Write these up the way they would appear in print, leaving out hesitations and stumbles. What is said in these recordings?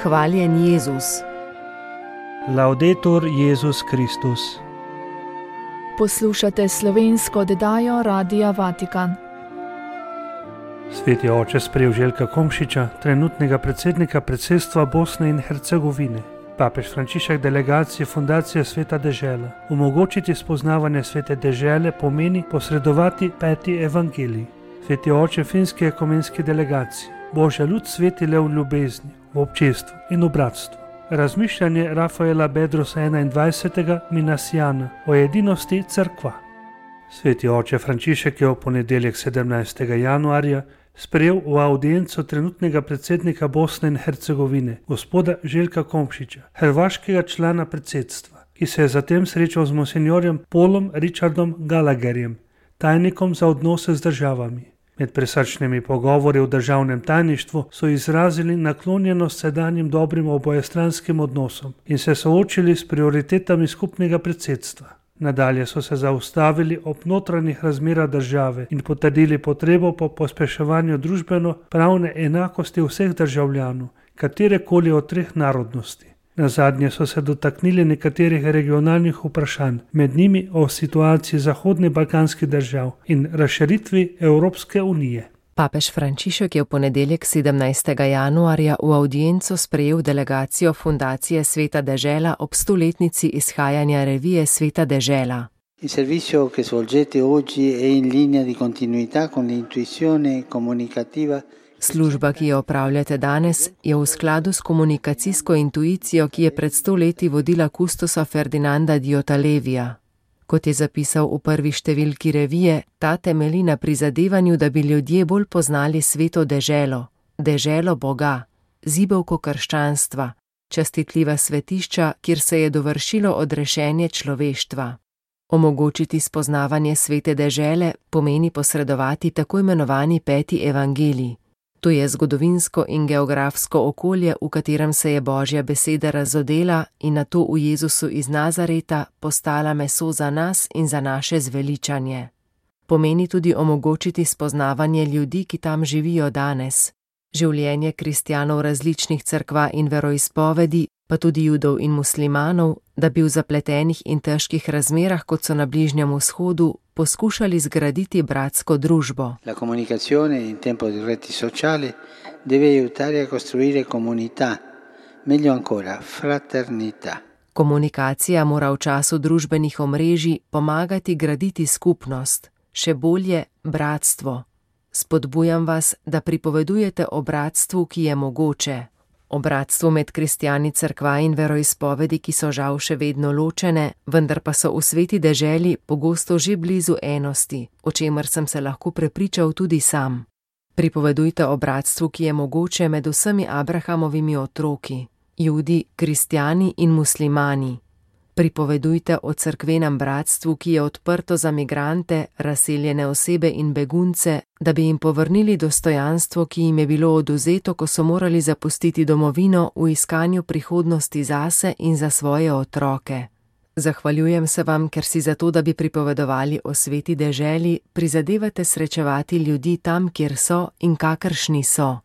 Hvaljen Jezus. Laudetur Jezus Kristus. Poslušate slovensko oddajo Radia Vatikan. Sveti oče sprejel Željka Komšiča, trenutnega predsednika predsedstva Bosne in Hercegovine. Papež Frančišek delegacije Fundacije Sveta dežela. Omogočiti spoznavanje Svete dežele pomeni posredovati peti evangelij. Sveti oče finske ekumenske delegacije. Božja ljud sveti le v ljubezni, v občestvu in v bratstvu. Razmišljanje Rafaela Bedrosa 21. Minasijana o edinosti crkva. Sveti oče Frančišek je v ponedeljek 17. januarja sprejel v audienco trenutnega predsednika Bosne in Hercegovine, gospoda Željka Komšiča, hrvaškega člana predsedstva, ki se je zatem srečal z monsinjorjem Paulom Richardom Gallagherjem, tajnikom za odnose z državami. Med presrčnimi pogovori v državnem tajništvu so izrazili naklonjenost sedanjim dobrim obojestranskim odnosom in se soočili s prioritetami skupnega predsedstva. Nadalje so se zaustavili ob notranjih razmerah države in potrdili potrebo po pospeševanju družbeno-pravne enakosti vseh državljanov, katerekoli od treh narodnosti. Nazadnje so se dotaknili nekaterih regionalnih vprašanj, med njimi o situaciji zahodnih balkanskih držav in razširitvi Evropske unije. Papež Frančišek je v ponedeljek 17. januarja v audienco sprejel delegacijo Fundacije Sveta dežela ob 100-letnici izhajanja revije Sveta dežela. Il servizio che svolgete oggi è in linea di continuità con l'intuizione comunicativa. Služba, ki jo opravljate danes, je v skladu s komunikacijsko intuicijo, ki je pred 100 leti vodila kustosa Ferdinanda Diotalevija. Kot je zapisal v prvi številki revije, ta temelji na prizadevanju, da bi ljudje bolj poznali sveto deželo, deželo Boga, zibelko krščanstva, častitljiva svetišča, kjer se je dovršilo odrešenje človeštva. Omogočiti spoznavanje svete dežele pomeni posredovati tako imenovani peti evangelij. To je zgodovinsko in geografsko okolje, v katerem se je Božja beseda razodela in nato v Jezusu iz Nazareta postala meso za nas in za naše zveličanje. Pomeni tudi omogočiti spoznavanje ljudi, ki tam živijo danes. Življenje kristjanov različnih cerkva in veroizpovedi, pa tudi judov in muslimanov, da bi v zapletenih in težkih razmerah, kot so na Bližnjem vzhodu, poskušali zgraditi bratsko družbo. La comunicazione in tempo di reti sociali deve aiutare a costruire comunità, meglio ancora fraternità. Komunikacija mora v času družbenih omrežij pomagati graditi skupnost, še bolje bratstvo. Spodbujam vas, da pripovedujete o bratstvu, ki je mogoče. O bratstvu med kristjani cerkva in veroizpovedi, ki so žal še vedno ločene, vendar pa so v sveti deželi pogosto že blizu enosti, o čemer sem se lahko prepričal tudi sam. Pripovedujte o bratstvu, ki je mogoče med vsemi Abrahamovimi otroki, Judi, kristjani in muslimani. Pripovedujte o cerkvenem bratstvu, ki je odprto za migrante, razseljene osebe in begunce, da bi jim povrnili dostojanstvo, ki jim je bilo odvzeto, ko so morali zapustiti domovino v iskanju prihodnosti zase in za svoje otroke. Zahvaljujem se vam, ker si zato, da bi pripovedovali o sveti deželi, prizadevate srečevati ljudi tam, kjer so in kakršni so.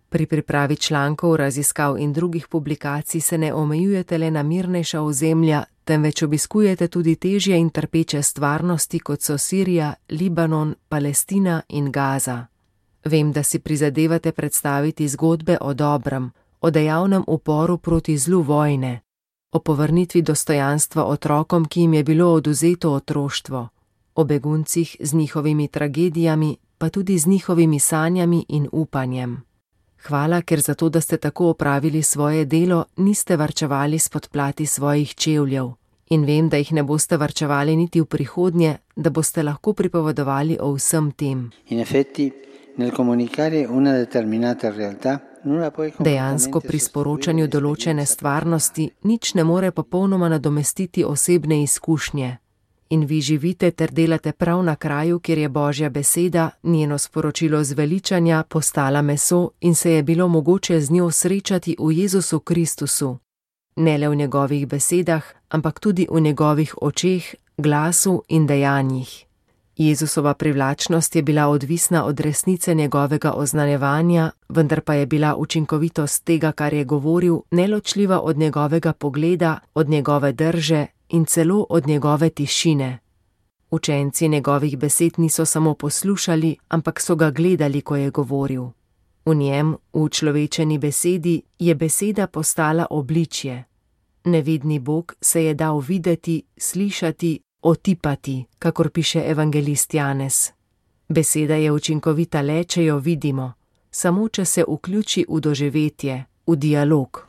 Pri pripravi člankov, raziskav in drugih publikacij se ne omejujete le na mirnejša ozemlja, temveč obiskujete tudi težje in trpeče stvarnosti, kot so Sirija, Libanon, Palestina in Gaza. Vem, da si prizadevate predstaviti zgodbe o dobrem, o dejavnem uporu proti zlu vojne, o povrnitvi dostojanstva otrokom, ki jim je bilo odvzeto otroštvo, o beguncih z njihovimi tragedijami, pa tudi z njihovimi sanjami in upanjem. Hvala, ker zato, da ste tako opravili svoje delo, niste varčevali s podplati svojih čevljev. In vem, da jih ne boste varčevali niti v prihodnje, da boste lahko pripovedovali o vsem tem. Dejansko pri sporočanju določene stvarnosti nič ne more popolnoma nadomestiti osebne izkušnje. In vi živite ter delate prav na kraju, kjer je Božja beseda, njeno sporočilo zveličanja, postala meso in se je bilo mogoče z njo srečati v Jezusu Kristusu. Ne le v njegovih besedah, ampak tudi v njegovih očeh, glasu in dejanjih. Jezusova privlačnost je bila odvisna od resnice njegovega oznanjevanja, vendar pa je bila učinkovitost tega, kar je govoril, neločljiva od njegovega pogleda, od njegove drže in celo od njegove tišine. Učenci njegovih besed niso samo poslušali, ampak so ga gledali, ko je govoril. V njem, v učlovečeni besedi, je beseda postala obličje. Nevidni Bog se je dal videti, slišati, otipati, kakor piše evangelist Janez. Beseda je učinkovita le, če jo vidimo, samo če se vključi v doživetje, v dialog.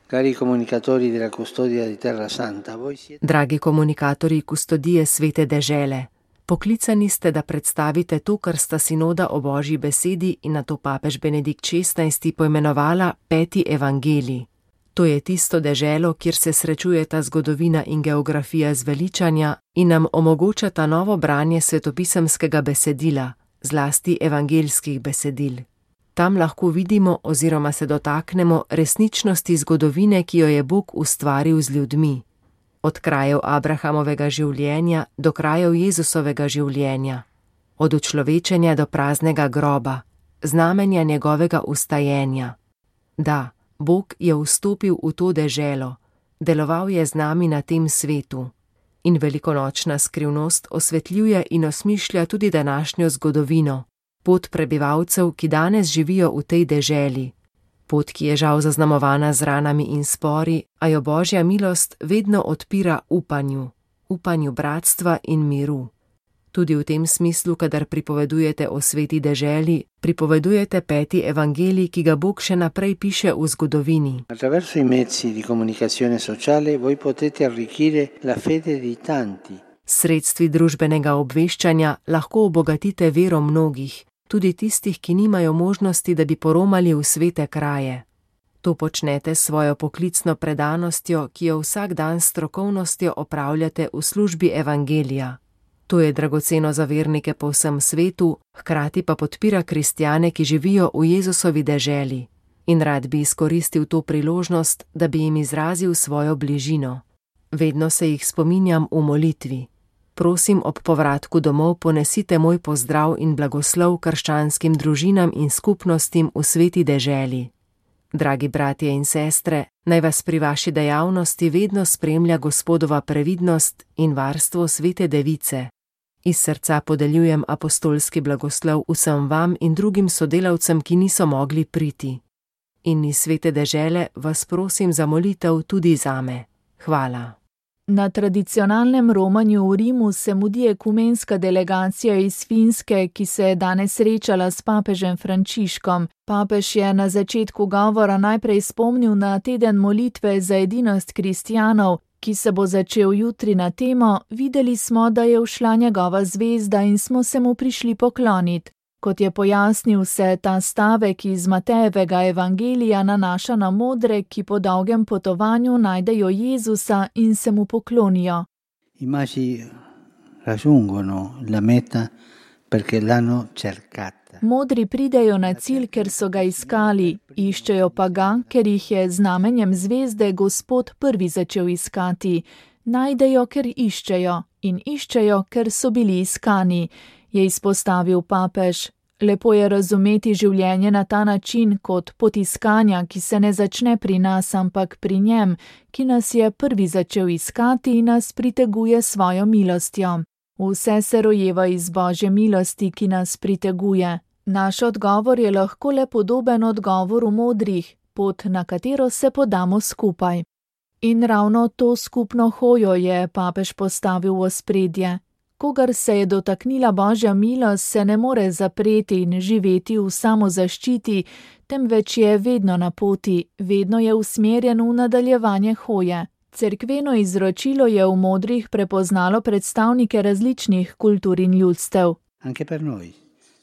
Dragi komunikatorji kustodije svete dežele, poklicani ste, da predstavite to, kar sta sinoda o Božji besedi in nato papež Benedikt XVI poimenovala 5. evangelij. To je tisto deželo, kjer se srečujeta zgodovina in geografija zveličanja in nam omogočata novo branje svetopisemskega besedila, zlasti evangeljskih besedil. Tam lahko vidimo oziroma se dotaknemo resničnosti zgodovine, ki jo je Bog ustvaril z ljudmi. Od krajev Abrahamovega življenja do krajev Jezusovega življenja, od učlovečenja do praznega groba, znamenja njegovega ustajenja. Da, Bog je vstopil v to deželo, deloval je z nami na tem svetu. In velikonočna skrivnost osvetljuje in osmišlja tudi današnjo zgodovino, pot prebivalcev, ki danes živijo v tej deželi. Pot, ki je žal zaznamovana z ranami in spori, a jo Božja milost vedno odpira upanju bratstva in miru. Tudi v tem smislu, kadar pripovedujete o sveti deželi, pripovedujete 5. evangelij, ki ga Bog še naprej piše v zgodovini. Attraverso i mezzi di comunicazione sociale voi potete arricchire la fede di tanti. S sredstvi družbenega obveščanja lahko obogatite vero mnogih, tudi tistih, ki nimajo možnosti, da bi poromali v svete kraje. To počnete s svojo poklicno predanostjo, ki jo vsak dan s strokovnostjo opravljate v službi evangelija. To je dragoceno za vernike po vsem svetu, hkrati pa podpira kristjane, ki živijo v Jezusovi deželi. In rad bi izkoristil to priložnost, da bi jim izrazil svojo bližino. Vedno se jih spominjam v molitvi. Prosim, ob povratku domov ponesite moj pozdrav in blagoslov krščanskim družinam in skupnostim v sveti deželi. Dragi bratje in sestre, naj vas pri vaši dejavnosti vedno spremlja Gospodova previdnost in varstvo svete device. Iz srca podeljujem apostolski blagoslov vsem vam in drugim sodelavcem, ki niso mogli priti. In iz svete dežele vas prosim za molitev tudi zame. Hvala. Na tradicionalnem romanju v Rimu se mudi ekumenska delegacija iz Finske, ki se je danes srečala s papežem Frančiškom. Papež je na začetku govora najprej spomnil na teden molitve za edinost kristjanov, ki se bo začel jutri na temo Videli smo, da je ušla njegova zvezda in smo se mu prišli pokloniti. Kot je pojasnil, se ta stavek iz Matejevega evangelija nanaša na modre, ki po dolgem potovanju najdejo Jezusa in se mu poklonijo. I magi raggiungono la meta perché l'hanno cercata. Modri pridejo na cilj, ker so ga iskali, iščejo pa ga, ker jih je znamenjem zvezde Gospod prvi začel iskati. Najdejo, ker iščejo, in iščejo, ker so bili iskani, je izpostavil papež. Lepo je razumeti življenje na ta način kot pot iskanja, ki se ne začne pri nas, ampak pri njem, ki nas je prvi začel iskati in nas priteguje svojo milostjo. Vse se rojeva iz Božje milosti, ki nas priteguje. Naš odgovor je lahko le podoben odgovoru modrih, pot, na katero se podamo skupaj. In ravno to skupno hojo je papež postavil v ospredje. Kogar se je dotaknila Božja milost, se ne more zapreti in živeti v samozaščiti, temveč je vedno na poti, vedno je usmerjen v nadaljevanje hoje. Cerkveno izročilo je v modrih prepoznalo predstavnike različnih kultur in ljudstev. Anche per noi,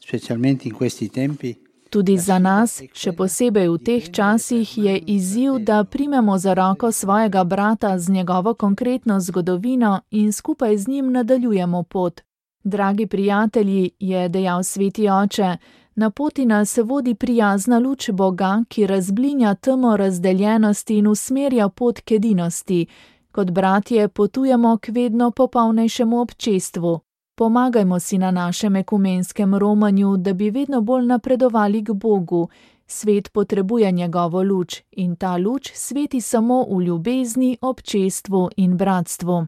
specialmente in questi tempi. Tudi za nas, še posebej v teh časih, je izziv, da primemo za roko svojega brata z njegovo konkretno zgodovino in skupaj z njim nadaljujemo pot. Dragi prijatelji, je dejal sveti oče, na poti nas vodi prijazna luč Boga, ki razblinja temo razdeljenosti in usmerja pot k edinosti. Kot bratje potujemo k vedno popolnejšemu občestvu. Pomagajmo si na našem ekumenskem romanju, da bi vedno bolj napredovali k Bogu. Svet potrebuje njegovo luč in ta luč sveti samo v ljubezni, občestvu in bratstvu.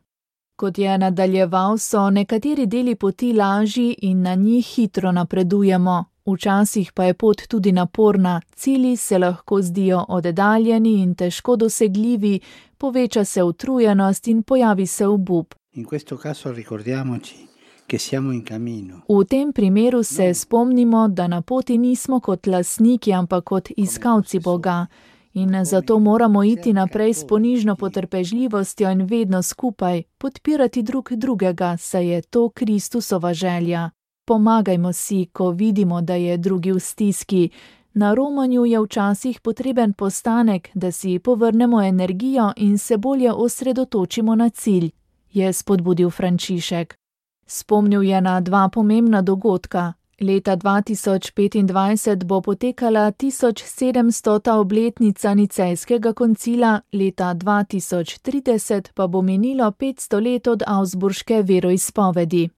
Kot je nadaljeval, so nekateri deli poti lažji in na njih hitro napredujemo. Včasih pa je pot tudi naporna, cilji se lahko zdijo oddaljeni in težko dosegljivi, poveča se utrujenost in pojavi se obup. V tem primeru se spomnimo, da na poti nismo kot lastniki, ampak kot iskalci Boga. In zato moramo iti naprej s ponižno potrpežljivostjo in vedno skupaj, podpirati drug drugega, saj je to Kristusova želja. Pomagajmo si, ko vidimo, da je drugi v stiski. Na romanju je včasih potreben postanek, da si povrnemo energijo in se bolje osredotočimo na cilj, je spodbudil Frančišek. Spomnil je na dva pomembna dogodka. Leta 2025 bo potekala 1700. obletnica Nicejskega koncila, leta 2030 pa bo minilo 500 let od Augsburške veroizpovedi.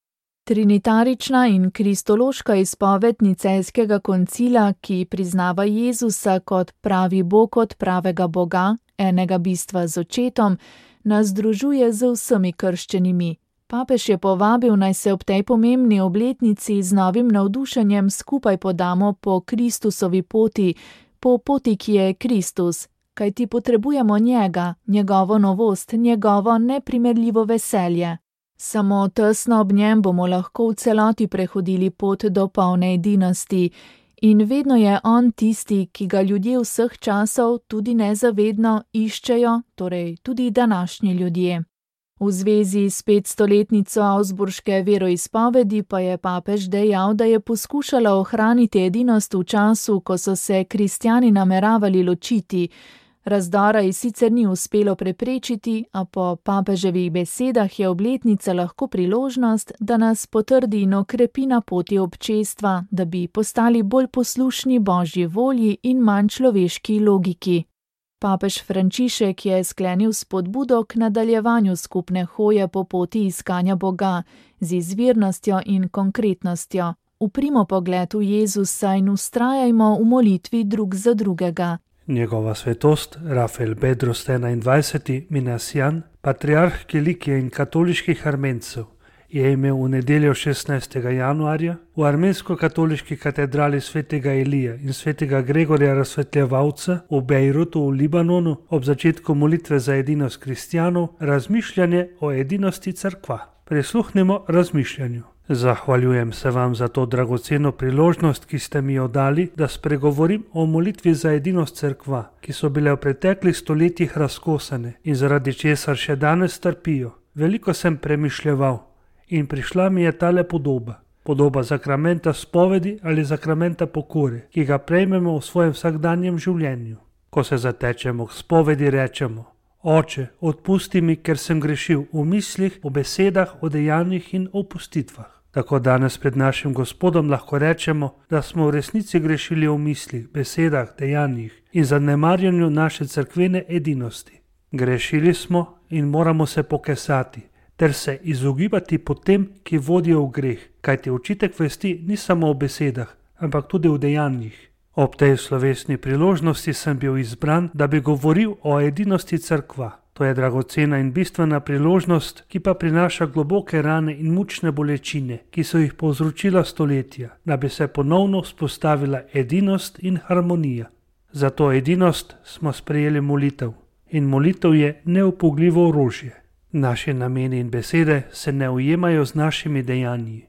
Trinitarična in kristološka izpoved Nicejskega koncila, ki priznava Jezusa kot pravi Bog, kot pravega Boga, enega bistva z očetom, nas združuje z vsemi krščenimi. Papež je povabil, naj se ob tej pomembni obletnici z novim navdušenjem skupaj podamo po Kristusovi poti, po poti, ki je Kristus, kajti potrebujemo njega, njegovo novost, njegovo neprimerljivo veselje. Samo tesno ob njem bomo lahko v celoti prehodili pot do polne edinosti. In vedno je on tisti, ki ga ljudje vseh časov tudi nezavedno iščejo, torej tudi današnji ljudje. V zvezi s 500-letnico Augsburške veroizpovedi pa je papež dejal, da je poskušala ohraniti edinost v času, ko so se kristjani nameravali ločiti. Razdora ji sicer ni uspelo preprečiti, a po papeževih besedah je obletnica lahko priložnost, da nas potrdi in okrepi na poti občestva, da bi postali bolj poslušni Božji volji in manj človeški logiki. Papež Frančišek je sklenil spodbudo k nadaljevanju skupne hoje po poti iskanja Boga z izvirnostjo in konkretnostjo. Uprimo pogled v Jezusa in vztrajajmo v molitvi drug za drugega. Njegova svetost, Rafael Bedros 21. Minasijan, patriarh Kilikije in katoliških Armencev, je imel v nedeljo 16. januarja v armensko-katoliški katedrali svetega Elija in svetega Gregorja Razsvetljevalca v Bejrutu v Libanonu ob začetku molitve za edinost kristjanov razmišljanje o edinosti cerkva. Prisluhnimo razmišljanju. Zahvaljujem se vam za to dragoceno priložnost, ki ste mi jo dali, da spregovorim o molitvi za edinost cerkva, ki so bile v preteklih stoletjih razkosane in zaradi česar še danes trpijo. Veliko sem premišljeval in prišla mi je tale podoba. Podoba zakramenta spovedi ali zakramenta pokore, ki ga prejmemo v svojem vsakdanjem življenju. Ko se zatečemo k spovedi, rečemo: Oče, odpusti mi, ker sem grešil v mislih, v besedah, v dejanjih in v opustitvah. Tako danes pred našim Gospodom lahko rečemo, da smo v resnici grešili v mislih, besedah, dejanjih in zanemarjanju naše cerkvene edinosti. Grešili smo in moramo se pokesati ter se izogibati potem, ki vodijo v greh, kajti očitek vesti ni samo v besedah, ampak tudi v dejanjih. Ob tej slovesni priložnosti sem bil izbran, da bi govoril o edinosti cerkva. To je dragocena in bistvena priložnost, ki pa prinaša globoke rane in mučne bolečine, ki so jih povzročila stoletja, da bi se ponovno vzpostavila edinost in harmonija. Za to edinost smo sprejeli molitev in molitev je neupogljivo orožje. Naši nameni in besede se ne ujemajo z našimi dejanji.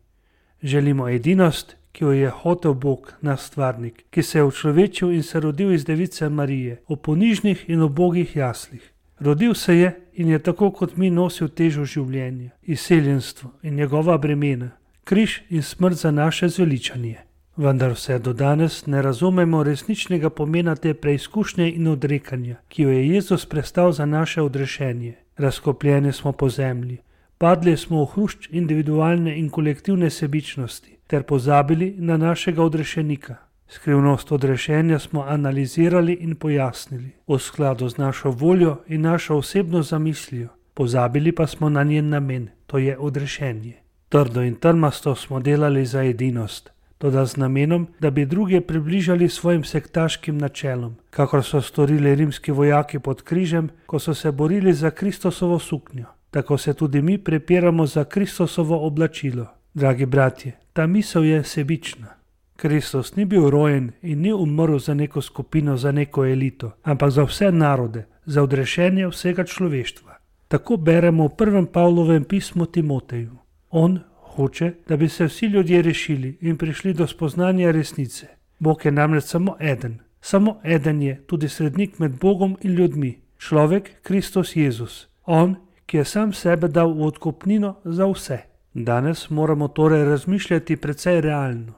Želimo edinost, ki jo je hotel Bog, naš stvarnik, ki se je učlovečil in se rodil iz device Marije, v ponižnih in ubogih jaslih. Rodil se je in je tako kot mi nosil težo življenja, izseljenstvo in njegova bremena, križ in smrt za naše zveličanje. Vendar vse do danes ne razumemo resničnega pomena te preizkušnje in odrekanja, ki jo je Jezus prestal za naše odrešenje. Razkopljeni smo po zemlji, padli smo v hrušč individualne in kolektivne sebičnosti, ter pozabili na našega odrešenika. Skrivnost odrešenja smo analizirali in pojasnili v skladu z našo voljo in našo osebno zamislijo, pozabili pa smo na njen namen, to je odrešenje. Trdo in trmasto smo delali za edinost, toda z namenom, da bi druge približali svojim sektaškim načelom, kakor so storili rimski vojaki pod križem, ko so se borili za Kristusovo suknjo. Tako se tudi mi prepiramo za Kristusovo oblačilo. Dragi bratje, ta misel je sebična. Kristus ni bil rojen in ni umrl za neko skupino, za neko elito, ampak za vse narode, za odrešenje vsega človeštva. Tako beremo v 1. Pavlovem pismu Timoteju. On hoče, da bi se vsi ljudje rešili in prišli do spoznanja resnice. Bog je namreč samo eden. Samo eden je tudi srednik med Bogom in ljudmi. Človek Kristus Jezus. On, ki je sam sebe dal v odkupnino za vse. Danes moramo torej razmišljati precej realno.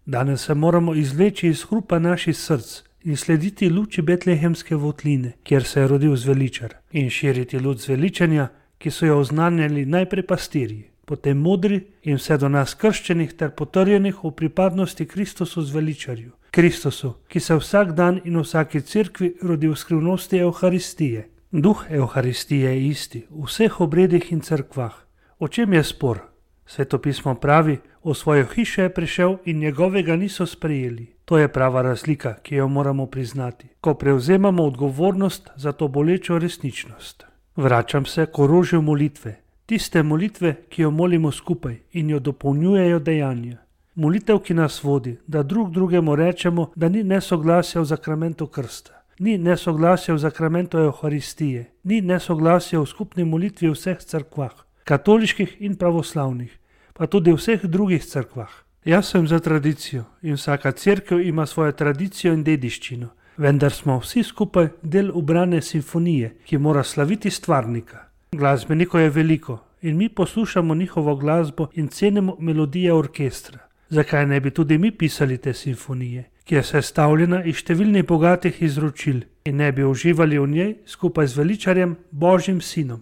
Danes se moramo izvleči iz hrupa naših src in slediti luči betlehemske votline, kjer se je rodil zveličar, in širiti luč zveličanja, ki so jo oznanjali najprej pastirji, potem modri in vse do nas krščenih ter potrjenih v pripadnosti Kristusu zveličarju. Kristusu, ki se vsak dan in v vsaki cerkvi rodi v skrivnosti Evharistije. Duh Evharistije je isti v vseh obredih in cerkvah. O čem je spor? Svetopismo pravi, v svojo hišo je prišel in njegovega niso sprejeli. To je prava razlika, ki jo moramo priznati, ko prevzemamo odgovornost za to bolečo resničnost. Vračam se k orožju molitve. Tiste molitve, ki jo molimo skupaj in jo dopolnjujejo dejanja. Molitev, ki nas vodi, da drug drugemu rečemo, da ni nesoglasja v zakramentu krsta, ni nesoglasja v zakramentu Evharistije, ni nesoglasja v skupni molitvi v vseh cerkvah, katoliških in pravoslavnih, pa tudi v vseh drugih cerkvah. Jaz sem za tradicijo in vsaka cerkev ima svojo tradicijo in dediščino, vendar smo vsi skupaj del ubrane simfonije, ki mora slaviti stvarnika. Glasbenikov je veliko in mi poslušamo njihovo glasbo in cenimo melodije orkestra. Zakaj ne bi tudi mi pisali te simfonije, ki je sestavljena iz številnih bogatih izročil, in ne bi uživali v njej skupaj z veličarjem Božjim sinom?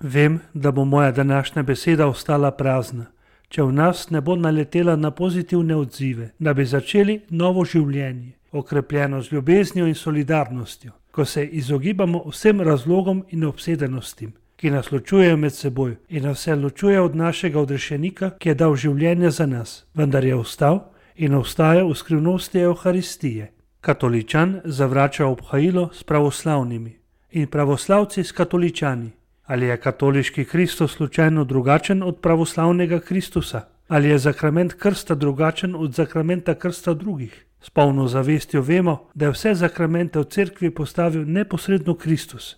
Vem, da bo moja današnja beseda ostala prazna, če v nas ne bo naletela na pozitivne odzive, da bi začeli novo življenje, okrepljeno z ljubeznijo in solidarnostjo, ko se izogibamo vsem razlogom in obsedenostim, ki nas ločujejo med seboj in nas vse ločuje od našega odrešenika, ki je dal življenje za nas, vendar je vstal in ostaja v skrivnosti Evharistije. Katoličan zavrača obhajilo s pravoslavnimi in pravoslavci s katoličani. Ali je katoliški Kristus slučajno drugačen od pravoslavnega Kristusa? Ali je zakrament krsta drugačen od zakramenta krsta drugih? S polno zavestjo vemo, da je vse zakramente v cerkvi postavil neposredno Kristus.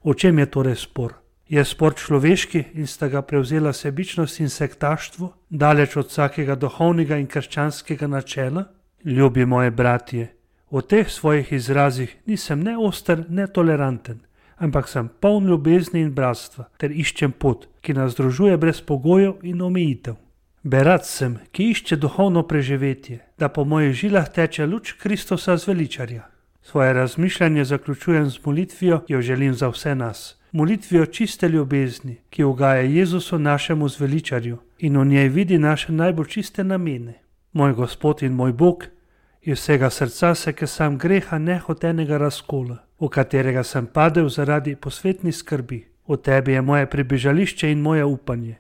O čem je torej spor? Je spor človeški in sta ga prevzela sebičnost in sektaštvo, daleč od vsakega duhovnega in krščanskega načela? Ljubi moje bratje, v teh svojih izrazih nisem ne oster, ne toleranten, ampak sem poln ljubezni in bratstva ter iščem pot, ki nas združuje brez pogojev in omejitev. Berat sem, ki išče duhovno preživetje, da po mojih žilah teče luč Kristusa zveličarja. Svoje razmišljanje zaključujem z molitvijo, ki jo želim za vse nas. Molitvijo čiste ljubezni, ki ugaja Jezusu našemu zveličarju in v njej vidi naše najbolj čiste namene. Moj Gospod in moj Bog, iz vsega srca se kesam greha nehotenega razkola, v katerega sem padel zaradi posvetnih skrbi. V tebi je moje pribežališče in moje upanje.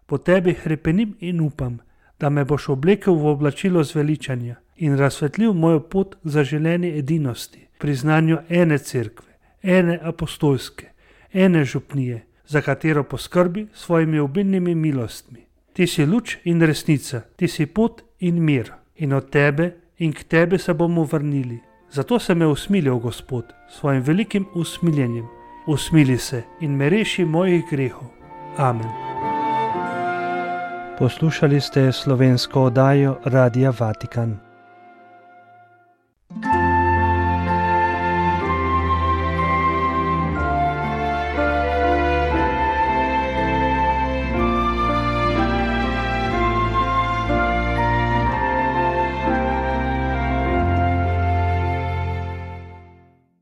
Po tebi hrepenim in upam, da me boš oblekel v oblačilo zveličanja in razsvetlil mojo pot za želeni edinosti, priznanju ene cerkve, ene apostolske, ene župnije, za katero poskrbi svojimi obilnimi milostmi. Ti si luč in resnica, ti si pot in mir, in od tebe in k tebi se bomo vrnili. Zato se me usmilil, Gospod, svojim velikim usmiljenjem. Usmili se in me reši mojih grehov. Amen. Poslušali ste slovensko oddajo Radia Vatikan.